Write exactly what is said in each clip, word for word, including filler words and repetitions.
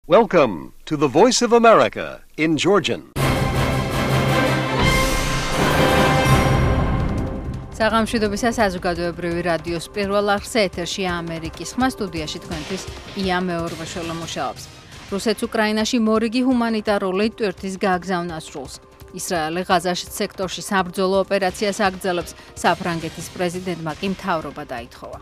Welcome to the Voice of America in Georgian. საღამშვიდობისა საზოგადოებრივი რადიოს პირველ არხზე ეთერშია ამერიკის ხმა სტუდიაში თქვენთვის ია მეორბაშოლა მუშაობს. რუსეთს უკრაინაში მორიგი ჰუმანიტარული ტვირთის გაგზავნა სრულს. ისრაელი ღაზაში სექტორში საბრძოლო ოპერაციას აგრძელებს, საფრანგეთის პრეზიდენტმა კი მთავრობა დაითხოვა.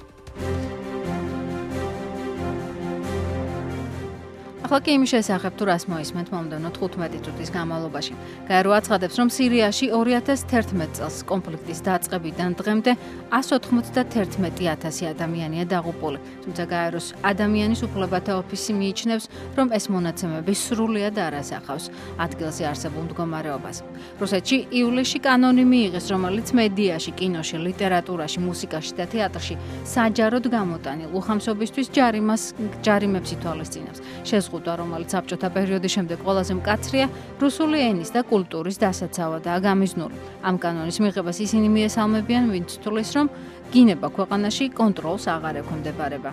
ახლა კი იმის შესახებ თუ რას მოისმენთ მომდევნო თხუთმეტი წუთის განმავლობაში. გაერო აცხადებს, რომ სირიაში ორი ათას თერთმეტ წელს კონფლიქტის დაწყებიდან დღემდე εκατს ოცდაათი ათასი ადამიანია დაღუპული. თუმცა გაეროს ადამიანის უფლებათა ოფისი მიიჩნევს, რომ ეს მონაცემები სრულიად არ ასახავს ადგილზე არსებულ მდგომარეობას. რუსეთში ივლისში კანონი მიიღეს, რომელიც მედიაში, კინოში, ლიტერატურაში, მუსიკაში და თეატრში საჯაროდ გამოტანილ უხამსობისთვის ჯარიმას ჯარიმებს ითვალისწინებს. შეზღუდვა, რომელიც საბჭოთა პერიოდის შემდეგ ყველაზე მკაცრია, რუსული ენის და კულტურის დასაცავადაა გამიზნული. ამ კანონის მიღებას ისინი მიესალმებიან, ვინც თვლის, რომ გინება ქვეყანაში კონტროლს აღარ ექვემდებარება.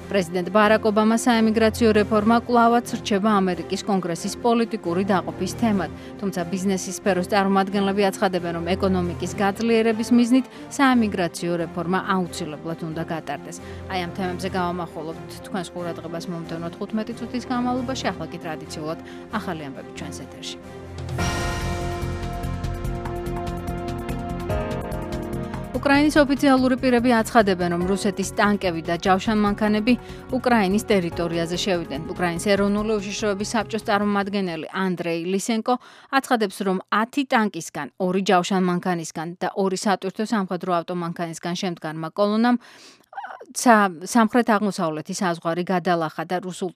პრეზიდენტ ბარაკ ობამას საემიგრაციო რეფორმა კვლავაც რჩება ამერიკის კონგრესის პოლიტიკური დაყოფის თემად, თუმცა ბიზნესის სფეროს წარმომადგენლები აცხადებენ, რომ ეკონომიკის გაძლიერების მიზნით საემიგრაციო რეფორმა აუცილებლად უნდა გატარდეს. აი ამ თემებზე გავამახვილებთ თქვენს ყურადღებას მომდევნო თხუთმეტი წუთის განმავლობაში, ახლა კი ტრადიციულად ახალი ამბები ჩვენს ეთერში. უკრაინის ოფიციალური პირები აცხადებენ, რომ რუსეთის ტანკები და ჯავშანმანქანები უკრაინის ტერიტორიაზე შევიდნენ. უკრაინის ეროვნული უშიშროების საბჭოს წარმომადგენელი ანდრეი ლისენკო აცხადებს, რომ ათი ტანკისგან, ორი ჯავშანმანქანისგან და ორი სატვირთო სამხედრო ავტომანქანისგან შემდგარმა კოლონამ სამხრეთ-აღმოსავლეთის საზღვარი გადალახა და რუსულ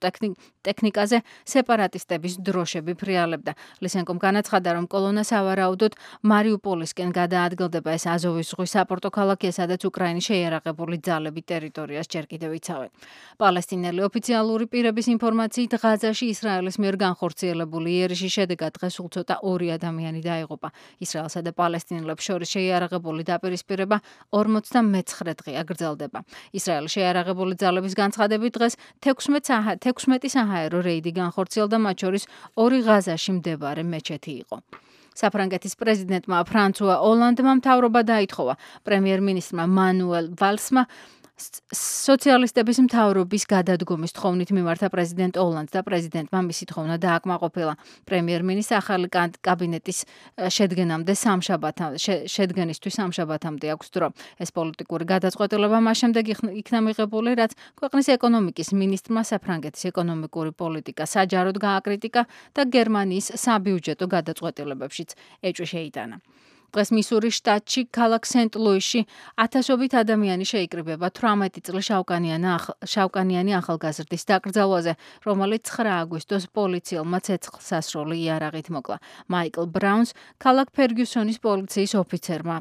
ტექნიკაზე სეპარატისტების დროშები ფრიალებდა. ლისენკომ განაცხადა, რომ კოლონა სავარაუდოდ მარიუპოლისკენ გადაადგილდება. ეს აზოვის ზღვის საპორტო ქალაქია, სადაც უკრაინის შეიარაღებული ძალები ტერიტორიას ჯერ კიდევ იცავენ. პალესტინელი ოფიციალური პირების ინფორმაციით, ღაზაში ისრაელის მიერ განხორციელებული იერიში შედეგად დღეს სულ ცოტა ორი ადამიანი დაიღუპა. ისრაელსა და პალესტინელებს შორის შეიარაღებული დაპირისპირება ორმოცდამეცხრე დღეა გრძელდება. ისრაელის შეიარაღებული ძალების განცხადებით დღეს თექვსმეტი საჰაერო რეიდი განხორციელდა, მათ შორის ორი ღაზაში მდებარე მეჩეთი იყო. საფრანგეთის პრეზიდენტმა ფრანსუა ოლანდმა მთავრობა დაითხოვა. პრემიერ-მინისტრმა მანუელ ვალსმა სოციალისტების მთავრობის გადადგომის თხოვნით მიმართა პრეზიდენტ ოლანდს და პრეზიდენტმა მისი თხოვნა დააკმაყოფილა. პრემიერ-მინისტრს ახალი კაბინეტის შედგენამდე სამშაბათამდე შედგენისთვის სამშაბათამდე აქვს დრო. ეს პოლიტიკური გადაწყვეტილება მას შემდეგ იქნა მიღებული, რაც ქვეყნის ეკონომიკის მინისტრმა საფრანგეთის ეკონომიკური პოლიტიკა საჯაროდ გააკრიტიკა და გერმანიის საბიუჯეტო გადაწყვეტილებებშიც ეჭვი შეიტანა. დღეს მისურის შტატში, ქალაქ სენტ-ლუისში ათასობით ადამიანი შეიკრიბება თვრამეტი წლის შავკანიანი ახალგაზრდის დაკრძალვაზე, რომელიც ცხრა აგვისტოს პოლიციელმა ცეცხლსასროლი იარაღით მოკლა. მაიკლ ბრაუნს ქალაქ ფერგიუსონის პოლიციის ოფიცერმა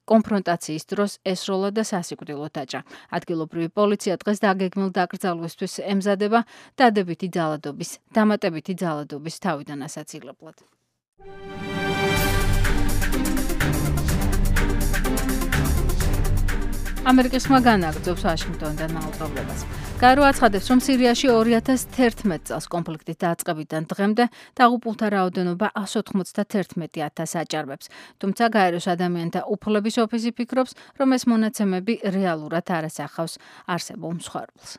კონფრონტაციის დროს ესროლა და სასიკვდილო დაჭრა. ადგილობრივი პოლიცია დღეს დაგეგმილ დაკრძალვისთვის ემზადება დადებითი ძალადობის, დამატებითი ძალადობის თავიდან ასაცილებლად. ამერიკის ხმა განაგრძობს ვაშინგტონიდან მაუწყებლობას. გაერო აცხადებს, რომ სირიაში ორი ათას თერთმეტ წელს კონფლიქტის დაწყებიდან დღემდე დაღუპულთა რაოდენობა εκατს ოცდაათი ათასს აჭარბებს. თუმცა გაეროს ადამიანთა უფლების ოფისი ფიქრობს, რომ ეს მონაცემები რეალურად არ ასახავს არსებულ მსხვერპლს.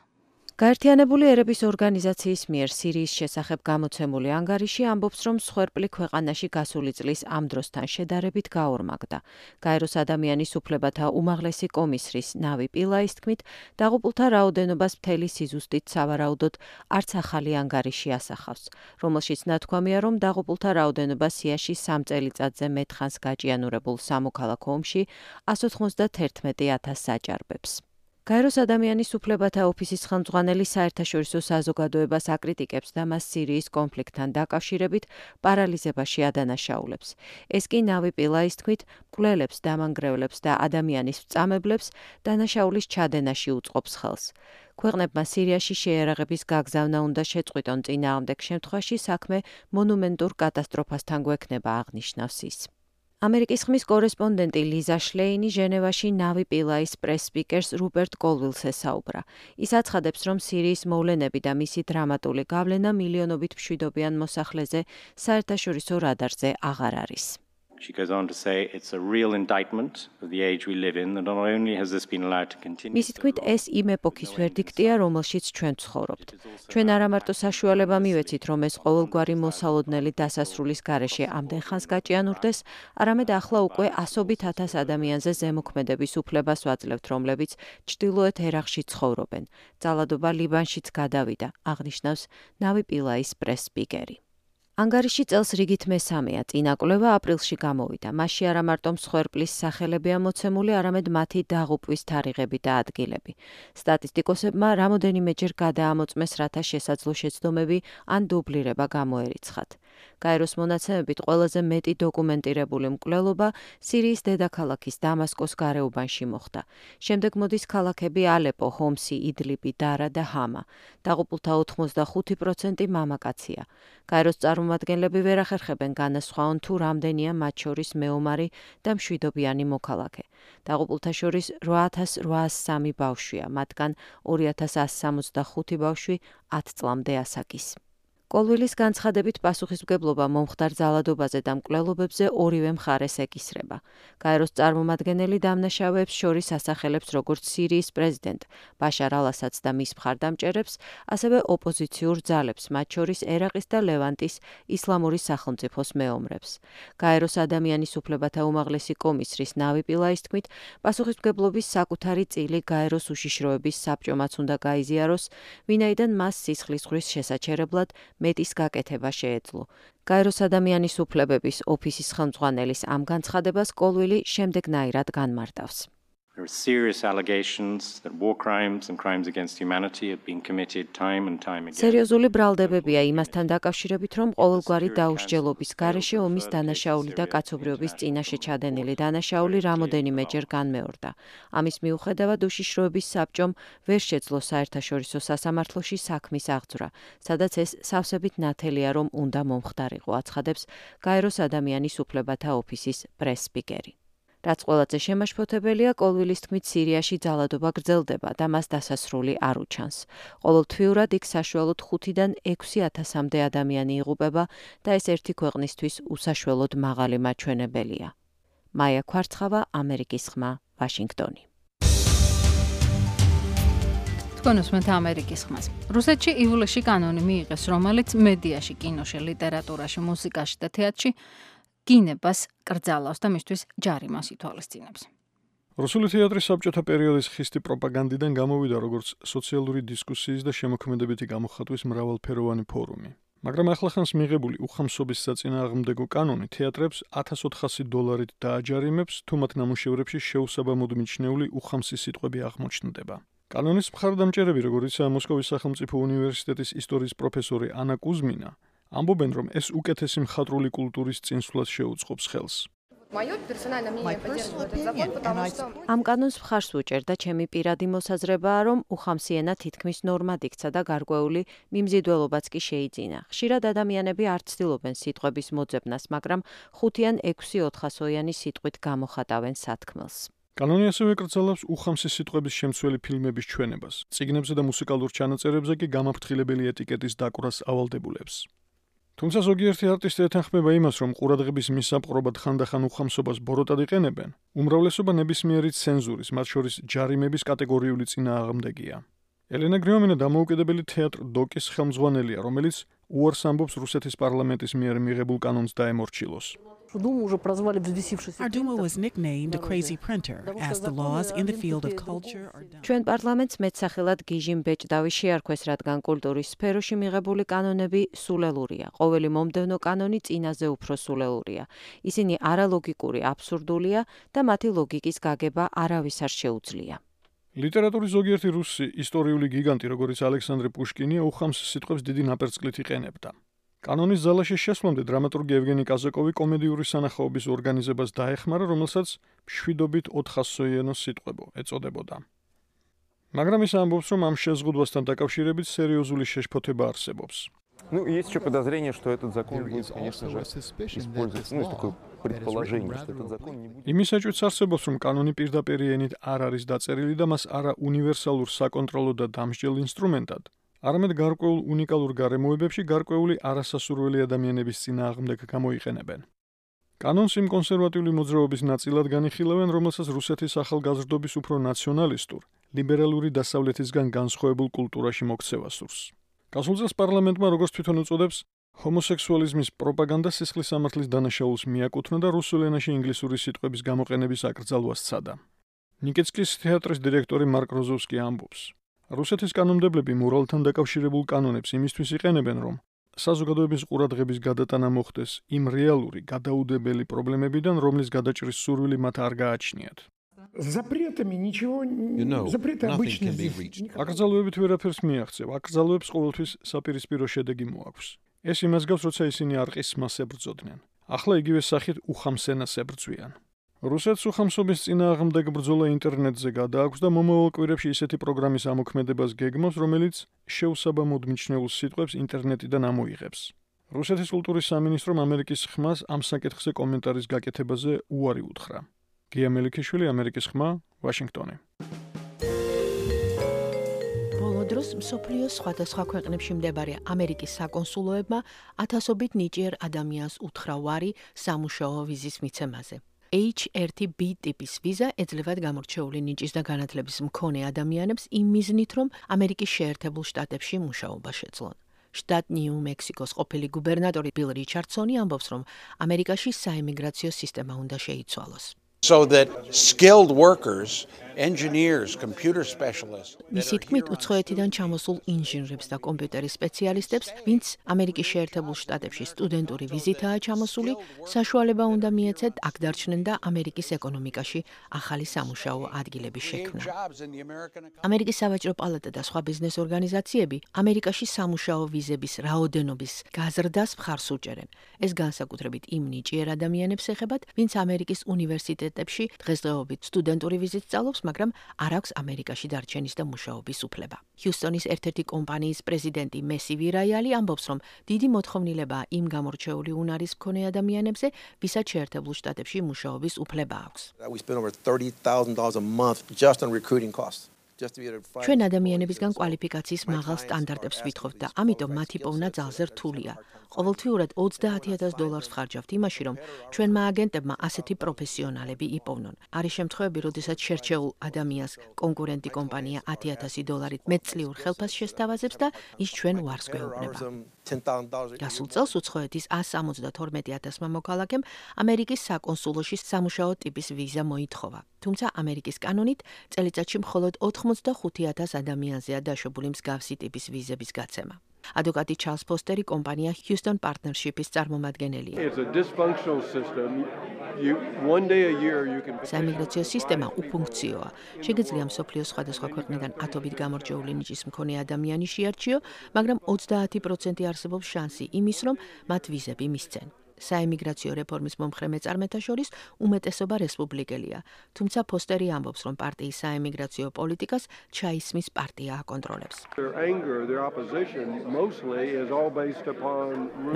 გაერთიანებული ერების ორგანიზაციის მიერ სირიის შესახებ გამოცემული ანგარიში ამბობს, რომ მსხვერპლი ქვეყანაში გასული წლის ამ დროსთან შედარებით გაორმაგდა. გაეროს ადამიანის უფლებათა უმაღლესი კომისრის ნავი პილაის თქმით, დაღუპულთა რაოდენობას მთელი სიზუსტით სავარაუდოდ არც ახალი ანგარიში ასახავს, რომელშიც ნათქვამია, რომ დაღუპულთა რაოდენობა სიაში სამ წელიწადზე მეტხანს გაჭიანურებულ სამოქალაქო ომში εκατს ოცდაათი ათასს აჭარბებს. გაეროს ადამიანის უფლებათა ოფისის ხელმძღვანელი საერთაშორისო საზოგადოებას აკრიტიკებს და მას სირიის კონფლიქტთან დაკავშირებით პარალიზებაში ადანაშაულებს. ეს კი ნავი პილაის თქმით, მკვლელებს, დამანგრევლებს და ადამიანის წამებლებს დანაშაულის ჩადენაში უწყობს ხელს. ქვეყნებმა სირიაში შეიარაღების გაგზავნა უნდა შეწყვიტონ, წინააღმდეგ შემთხვევაში საქმე მონუმენტურ კატასტროფასთან გვექნება, აღნიშნავს ის. ამერიკის ხმის კორესპონდენტი ლიზა შლეინი ჟენევაში ნავი პილაის პრეს სპიკერს რუპერტ კოლვილს ესაუბრა. ის აცხადებს, რომ სირიის მოვლენები და მისი დრამატული გავლენა მილიონობით მშვიდობიან მოსახლეზე საერთაშორისო რადარზე აღარ არის. She goes on to say it's a real indictment of the age we live in, that not only has this been allowed to continue. მისი თქმით, ეს იმ ეპოქის ვერდიქტია, რომელშიც ჩვენ ვცხოვრობთ. ჩვენ არა მარტო საშუალება მივეცით, რომ ეს ყოველგვარი მოსალოდნელი დასასრულის გარეშე ამდენ ხანს გაჭიანურდეს, არამედ ახლა უკვე ასობით ათას ადამიანზე ზემოქმედების უფლებას ვაძლევთ, რომლებიც ჩრდილოეთ ერაყში ცხოვრობენ. ძალადობა ლიბანშიც გადავიდა, აღნიშნავს ნავი პილაის პრეს სპიკერი. ანგარიში წელს რიგით მესამეა, წინა კვლევა აპრილში გამოვიდა. მასში არა მარტო მსხვერპლის სახელებია მოცემული, არამედ მათი დაღუპვის თარიღები და ადგილები. სტატისტიკოსებმა რამოდენიმეჯერ გადაამოწმეს, რათა შესაძლო შეცდომები ან დუბლირება გამოერიცხათ. გაეროს მონაცემებით ყველაზე მეტი დოკუმენტირებული მკვლელობა სირიის დედაქალაქის დამასკოს გარეუბანში მოხდა. შემდეგ მოდის ქალაქები ალეპო, ჰომსი, იდლიბი, დარა და ჰამა. დაღუპულთა ოთხმოცდახუთი პროცენტი მამაკაცია. გაეროს წარმომადგენლები ვერ ახერხებენ განასხვაონ თუ რამდენია მათ შორის მეომარი და მშვიდობიანი მოქალაქე. დაღუპულთა შორის რვა ათას რვაას სამი ბავშვია, მათგან ორი ათას ასი სამოცდახუთი ბავშვი ათ წლამდე ასაკის. კოლვილის განცხადებით პასუხისმგებლობა მომხდარ ძალადობაზე და მკვლელობებზე ორივე მხარეს ეკისრება. გაეროს წარმომადგენელი დამნაშავეებს შორის ასახელებს როგორც სირიის პრეზიდენტ ბაშარ ალ-ასადს და მის მხარდამჭერებს, ასევე ოპოზიციურ ძალებს, მათ შორის ერაყის და ლევანტის ისლამური სახელმწიფოს მეომრებს. გაეროს ადამიანის უფლებათა უმაღლესი კომისრის ნავი პილაის თქმით, პასუხისმგებლობის საკუთარი წილი გაეროს უშიშროების საბჭომაც უნდა გაიზიაროს, ვინაიდან მას სისხლისღვრის შესაჩერებლად მეტის გაკეთება შეეძლო. გაეროს ადამიანის უფლებების ოფისის ხელმძღვანელის ამ განცხადებას კოლვილი შემდეგნაირად განმარტავს. There are serious allegations that war crimes and crimes against humanity have been committed time and time again. სერიოზული ბრალდებებია იმასთან დაკავშირებით, რომ ყოველგვარი დაუსჯელობის გარეშე ომის დანაშაული და კაცობრიობის წინაშე ჩადენილი დანაშაული რამოდენიმეჯერ განმეორდა. ამის მიუხედავად უშიშროების საბჭომ ვერ შეძლო საერთაშორისო სასამართლოში საქმის აღძვრა, სადაც ეს სავსებით ნათელია, რომ უნდა მომხდარიყო, აცხადებს გაეროს ადამიანის უფლებათა ოფისის პრეს სპიკერი. რაც ყველაზე შემაშფოთებელია, კოლვილის თქმით, სირიაში ძალადობა გრძელდება და მას დასასრული არ უჩანს. ყოველთვიურად იქ საშუალოდ ხუთიდან ექვსი ათასამდე ადამიანი იღუპება და ეს ერთი ქვეყნისთვის უსაშველოდ მაღალი მაჩვენებელია. მაია ქვარცხავა, ამერიკის ხმა, ვაშინგტონი. თქვენ უსმენთ ამერიკის ხმას. რუსეთში ივლისში კანონი მიიღეს, რომელიც მედიაში, კინოში, ლიტერატურაში, მუსიკაში და თეატრში გინებას კრძალავს და მისთვის ჯარიმას ითვალისწინებს. რუსული თეატრის საბჭოთა პერიოდის ხისტი პროპაგანდიდან გამოვიდა როგორც სოციალური დისკუსიის და შემოქმედებითი გამოხატვის მრავალფეროვანი ფორუმი. მაგრამ ახლახანს მიღებული უხამსობის საწინააღმდეგო კანონი თეატრებს ათას ოთხასი დოლარით დააჯარიმებს, თუ მათ ნამუშევრებში შეუსაბამოდ მიჩნეული უხამსი სიტყვები აღმოჩნდება. კანონის მხარდამჭერები, როგორიცაა მოსკოვის სახელმწიფო უნივერსიტეტის ისტორიის პროფესორი ანა კუზმინა, ამბობენ, რომ ეს უკეთესი მხატვრული კულტურის წინსვლას შეუწყობს ხელს. ამ კანონს მხარს ვუჭერ და ჩემი პირადი მოსაზრებაა, რომ უხამსი ენა თითქმის ნორმად იქცა და გარკვეული მიმზიდველობაც კი შეიძინა. ხშირად ადამიანები არ ცდილობენ სიტყვების მოძებნას, მაგრამ ხუთი ან ექვსი ოთხასოიანი სიტყვით გამოხატავენ სათქმელს. კანონი ასევე კრძალავს უხამსი სიტყვების შემცველი ფილმების ჩვენებას. წიგნებზე და მუსიკალურ ჩანაწერებზე კი გამაფრთხილებელი ეტიკეტის დაკვრას ავალდებულებს. თუმცა ზოგიერთი არტისტი ეთანხმება იმას, რომ ყურადღების მისაპყრობად ხანდახან უხამსობას ბოროტად იყენებენ, უმრავლესობა ნებისმიერი ცენზურის, მათ შორის ჯარიმების კატეგორიული წინააღმდეგია. ელენა გრიომინა დამოუკიდებელი თეატრ დოკის ხელმძღვანელია, რომელიც უარს ამბობს რუსეთის პარლამენტის მიერ მიღებულ კანონს დაემორჩილოს. Our Duma was nicknamed a crazy printer, as the laws in the field of culture are done. ჩვენ პარლამენტს მეტსახელად გიჟიმ ბეჭდავი შეარქვეს, რადგან კულტურის სფეროში მიღებული კანონები სულელურია. ყოველი მომდევნო კანონი წინაზე უფრო სულელურია. ისინი არალოგიკური, აბსურდულია და მათი ლოგიკის გაგება არავის არ შეუძლია. ლიტერატურის ზოგიერთი რუსი ისტორიული გიგანტი, როგორც ალექსანდრე პუშკინი, უხამს სიტყვებს დიდი ნაპერწკლით იყენებდა. კანონის ზალაში შესვლამდე დრამატურგი ევგენი კაზაკოვი კომედიური სანახაობის ორგანიზებას დაეხმარა, რომელსაც მშვიდობით ოთხასოიანო სიტყვებო ეწოდებოდა. მაგრამ ის ამბობს, რომ ამ შეზღუდვასთან დაკავშირებით სერიოზული შეშფოთება არსებობს. Ну, есть еще подозрение, что этот закон будет, конечно же, использоваться, ну, с такой იმის ეჭვიც არსებობს, რომ კანონი პირდაპირ ენით არ არის დაწერილი და მას არა უნივერსალურ საკონტროლო და დამსჯელ ინსტრუმენტად, არამედ გარკვეულ უნიკალურ გარემოებებში გარკვეული არასასურველი ადამიანების წინააღმდეგ გამოიყენებენ. კანონს იმ კონსერვატიული მოძრაობის ნაწილად განიხილავენ, რომელსაც რუსეთის ახალგაზრდობის უფრო ნაციონალისტურ, ლიბერალური დასავლეთისგან განსხვავებულ კულტურაში მოქცევა სურს. გასულ წელს პარლამენტმა, როგორც თვითონ უწოდებს, ჰომოსექსუალიზმის პროპაგანდა სისხლის სამართლის დანაშაულს მიაკუთვნა და რუსულ ენაში ინგლისური სიტყვების გამოყენების აკრძალვას სცადა. ნიკეცკის თეატრის დირექტორი მარკ როზოვსკი ამბობს: რუსეთის კანონმდებლები მორალთან დაკავშირებულ კანონებს იმისთვის იყენებენ, რომ საზოგადოების ყურადღების გადატანა მოხდეს იმ რეალური, გადაუდებელი პრობლემებიდან, რომლის გადაჭრის სურვილი მათ არ გააჩნიათ. აკრძალვებით ვერაფერს მიაღწევ, აკრძალვებს ყოველთვის საპირისპირო შედეგი მოაქვს. ეს იმას გავს, როცა ისინი არყისმას ებრძოდნენ. ახლა იგივე სახით უხამსენას ებრძვიან. რუსეთს უხამსობის წინააღმდეგ ბრძოლა ინტერნეტზე გადააქვს და მომავალ კვირებში ისეთი პროგრამის ამოქმედებას გეგმავს, რომელიც შეუსაბამოდ მიჩნეულ სიტყვებს ინტერნეტიდან ამოიღებს. რუსეთის კულტურის სამინისტრომ ამერიკის ხმას ამ საკითხზე კომენტარის გაკეთებაზე უარი უთხრა. გია მელიქიშვილი, ამერიკის ხმა, ვაშინგტონი. ბოლოდროს მსოფლიოს სხვადასხვა ქვეყნებში მდებარე ამერიკის საკონსულოებმა ათასობით ნიჭიერ ადამიანს უთხრა უარი სამუშაო ვიზის მიცემაზე. H one B ტიპის ვიზა ეძლევათ გამორჩეული ნიჭის და განათლების მქონე ადამიანებს იმ მიზნით, რომ ამერიკის შეერთებულ შტატებში მუშაობა შეძლონ. შტატ ნიუ-მექსიკოს ყოფილი გუბერნატორი ბილ რიჩარდსონი ამბობს, რომ ამერიკაში საიმიგრაციო სისტემა უნდა შეიცვალოს. So that skilled workers, engineers, computer specialists. მისი თქმით, უცხოეთიდან ჩამოსულ ინჟინრებს და კომპიუტერის სპეციალისტებს, ვინც ამერიკის შეერთებულ შტატებში სტუდენტური ვიზითაა ჩამოსული, საშუალება უნდა მიეცეთ აქ დარჩნენ და ამერიკის ეკონომიკაში ახალი სამუშაო ადგილების შექმნა. ამერიკის სავაჭრო პალატა და სხვა ბიზნეს ორგანიზაციები ამერიკაში სამუშაო ვიზების რაოდენობის გაზრდას მხარს უჭერენ. ეს განსაკუთრებით იმ ნიჭიერ ადამიანებს ეხებათ, ვინც ამერიკის უნივერსიტეტებში დღესდღეობით სტუდენტური ვიზით სწავლობს, მაგრამ არ აქვს ამერიკაში დარჩენის და მუშაობის უფლება. ჰიუსტონის ერთ-ერთი კომპანიის პრეზიდენტი მესი ვირაიალი ამბობს, რომ დიდი მოთხოვნილებაა იმ გამორჩეული უნარის მქონე ადამიანებზე, ვისაც შეერთებულ შტატებში მუშაობის უფლება აქვს. We spend over thirty thousand dollars a month just on recruiting costs. ჩვენ ადამიანებისგან კვალიფიკაციის მაღალ სტანდარტებს ვითხოვთ და ამიტომ მათი პოვნა ძალზე რთულია. ყოველთვიურად ოცდაათი ათას დოლარს ვხარჯავთ იმაში, რომ ჩვენმა აგენტებმა ასეთი პროფესიონალები იპოვნონ. არის შემთხვევები, როდესაც შერჩეულ ადამიანს კონკურენტი კომპანია ათი ათასი დოლარით მეტწლიურ ხელფასს შესთავაზებს და ის ჩვენ უარს გვეუბნება. გასულ წელს უცხოეთის one hundred seventy-two ათასმა მოქალაქემ ამერიკის საკონსულოში სამუშაო ტიპის ვიზა მოითხოვა. თუმცა ამერიკის კანონით წელიწადში მხოლოდ ოთხმოცდახუთი ათას ადამიანზეა დაშვებული მსგავსი ტიპის ვიზების გაცემა. ადვოკატი ჩარლს ფოსტერი კომპანია Houston Partnership-ის წარმომადგენელია. საიმიგრაციო სისტემა უფუნქციოა. შეგიძლია მსოფლიოს სხვადასხვა ქვეყნიდან ათობით გამორჩეული ნიჭის მქონე ადამიანი შეარჩიო, მაგრამ ოცდაათი პროცენტი არსებობს შანსი იმის, რომ მათ ვიზები მისცენ. საიმიგრაციო რეფორმის მომხრე მეწარმეთა შორის უმეტესობა რესპუბლიკელია, თუმცა ფოსტერი ამბობს, რომ პარტიის საიმიგრაციო პოლიტიკას ჩაისმის პარტია აკონტროლებს.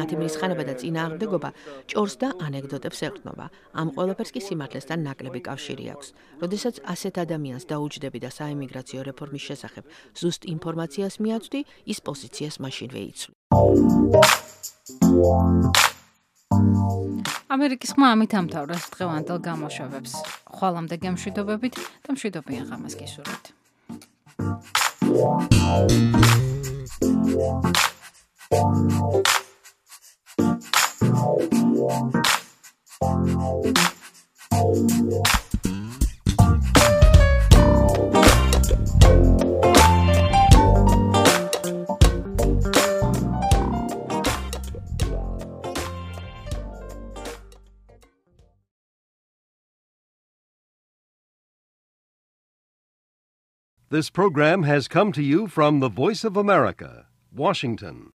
მათი მრისხანება და წინააღმდეგობა ჭორს და ანეკდოტებს ეყრდნობა. ამ ყველაფერს კი სიმართლესთან ნაკლები კავშირი აქვს. როდესაც ასეთ ადამიანს დაუჯდები და საიმიგრაციო რეფორმის შესახებ ზუსტ ინფორმაციას მიაწვდი, ის პოზიციას მაშინვე იცვლი. ამერიკის ხმა ამით ამთავრებს დღევანდელ გამოშვებებს. ხვალამდე გემშვიდობებით და მშვიდობიან ღამეს გისურვებთ. This program has come to you from the Voice of America, Washington.